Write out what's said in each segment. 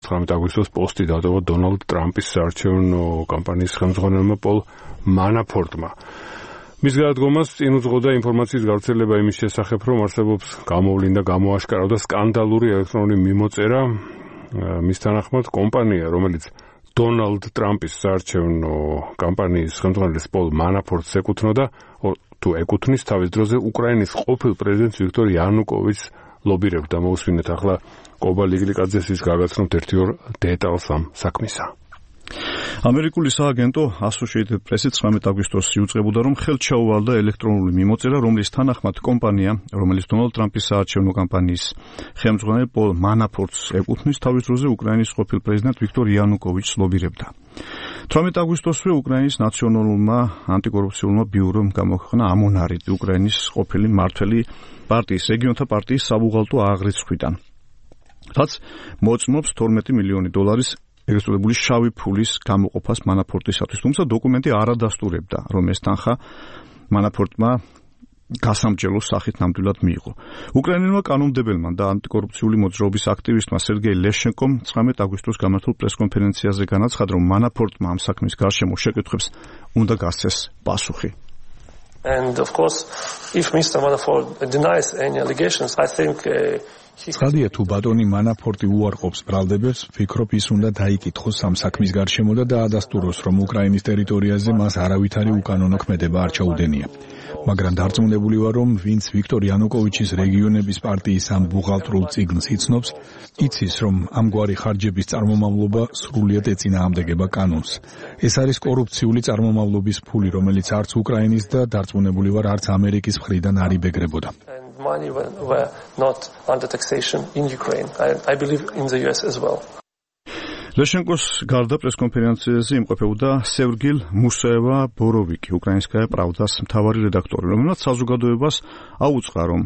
19 აგვისტოს პოსტი დატოვა დონალდ ტრამპის საარჩევნო კამპანიის ხელმძღვანელმა პოლ მანაფორტმა. მის გადადგომას წინ უძღოდა ინფორმაციის გავრცელება იმის შესახებ, რომ არსებობს გამოვლინდა გამოაშკარავდა სკანდალური ელექტრონული მიმოწერა. მის თანახმად კომპანია, რომელიც დონალდ ტრამპის საარჩევნო კამპანიის ხელმძღვანელის პოლ მანაფორტს ეკუთვნოდა, თუ ეკუთვნის თავის დროზე უკრაინის ყოფილ პრეზიდენტს ვიქტორ იანუკოვიჩს ლობირებდა. მოусმინეთ ახლა კობა ლიგლიკაძეს გაგაცნობთ 1-2 დეტალს ამ საქმისა. ამერიკული სააგენტო Associated Press 19 აგვისტოს იუწყებოდა, რომ ხელთ ჩაუვალდა ელექტრონული მიმოწერა, რომლის თანახმად კომპანია, რომელიც დონალდ ტრამპის საარჩევნო კამპანიის ხელმძღვანელ პოლ მანაფორტს ეკუთვნის, თავის დროზე უკრაინის ყოფილ პრეზიდენტ ვიქტორ იანუკოვიჩს ლობირებდა. 18 აგვისტოსვე უკრაინის ნაციონალურმა ანტიკორუფციულმა ბიურომ გამოქვეყნა ამონარიდი უკრაინის ყოფილი მმართველი პარტიის რეგიონთა პარტიის საბუღალტო აღრიცხვიდან, რაც მოწმობს $12 მილიონი ეგრეთწოდებული შავი ფულის გამოყოფას მანაფორტისათვის, თუმცა დოკუმენტი არ ადასტურებდა, რომ ეს თანხა მანაფორტმა გასამჯელოს სახით ნამდვილად მიიღო. უკრაინელმა კანონმდებელმა და ანტიკორუფციული მოძრაობის აქტივისტმა სერგეი ლეშენკომ 19 აგვისტოს გამართულ პრესკონფერენციაზე განაცხადა, რომ მანაფორტმა ამ საქმის გარშემო შეკითხვებს უნდა გასცეს პასუხი. And of course, if Mr. Manafort denies any allegations, I think ცხადია, თუ ბატონი მანაფორტი უარყოფს ბრალდებებს, ვფიქრობ, ის უნდა დაიკითხოს ამ საქმის გარშემო და დაადასტუროს, რომ უკრაინის ტერიტორიაზე მას არავითარი უკანონო ქმედება არ ჩაუდენია. მაგრამ დარწმუნებული ვარ, რომ ვინც ვიქტორ იანუკოვიჩის რეგიონების პარტიის ამ ბუღალტრულ წიგნს იცნობს, იცის, რომ ამგვარი ხარჯების წარმომავლობა სრულიად ეწინააღმდეგება კანონს. ეს არის კორუფციული წარმომავლობის ფული, რომელიც არც უკრაინის და დარწმუნებული ვარ, არც ამერიკის მხრიდან არ იბეგრებოდა. money were not under taxation in Ukraine. I believe in the US as well. ლეშენკოს გარდა პრესკონფერენციაზე იმყოფებოდა სერგილ მუსაევა-ბოროვიკი, უკრაინსკაია პრავდას მთავარი რედაქტორი, რომელმაც საზოგადოებას აუწყა, რომ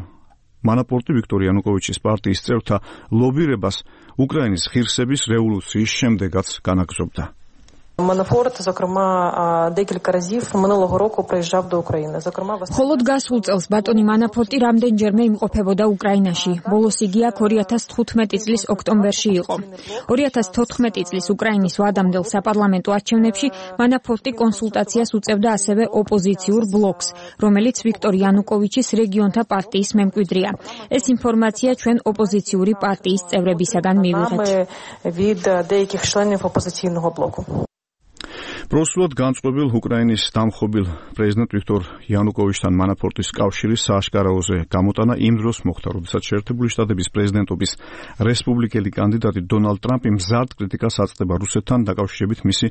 მანაფორტი ვიქტორ იანუკოვიჩის პარტიის წევრთა ლობირებას უკრაინის ღირსების რევოლუციის შემდეგაც განაგრძობდა. Манафорт, зокрема, декілька разів минулого року приїжджав до України. Зокрема, холод გასულ წელს ბატონი მანაფორტი რამდენჯერმე იმყოფებოდა უკრაინაში. ბოლოს იგი აქ 2015 წლის ოქტომბერში იყო. 2014 წლის უკრაინის ვადამდელ საპარლამენტო არჩევნებში მანაფორტი კონსულტაციას უწევდა ასევე ოპოზიციურ ბლოკს, რომელიც ვიქტორ იანუკოვიჩის რეგიონთა პარტიის მემკვიდრეა. ეს ინფორმაცია ჩვენ ოპოზიციური პარტიის წევრებისაგან მივიღეთ. від деяких членів опозиційного блоку. Პროსულად განწყობილ უკრაინის დამხობილ პრეზიდენტ ვიქტორ იანუკოვიჩთან მანაფორტის კავშირის სააშკარაოზე გამოტანა იმ დროს მოხდა, როდესაც შეერთებული შტატების პრეზიდენტობის რესპუბლიკელი კანდიდატი დონალდ ტრამპი მზარდ კრიტიკას აწყდება რუსეთთან დაკავშირებით მისი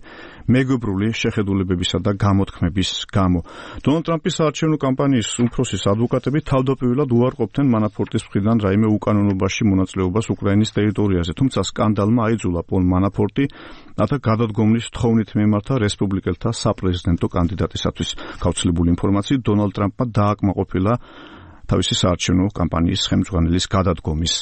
მეგობრული შეხედულებებისა და გამოთქმების გამო. დონალდ ტრამპის საარჩევნო კამპანიის უმცროსის ადვოკატები თავდაპირველად უარყოფდნენ მანაფორტის მხრიდან რაიმე უკანონობაში მონაწილეობას უკრაინის ტერიტორიაზე, თუმცა სკანდალმა აიძულა პოლ მანაფორტი რათა გადადგომლის თხოვნით მიემართა რესპუბლიკელთა საპრეზიდენტო კანდიდატისათვის. გავრცელებული ინფორმაციით დონალდ ტრამპმა დააკმაყოფილა თავისი საარჩევნო კამპანიის ხელმძღვანელის გადადგომის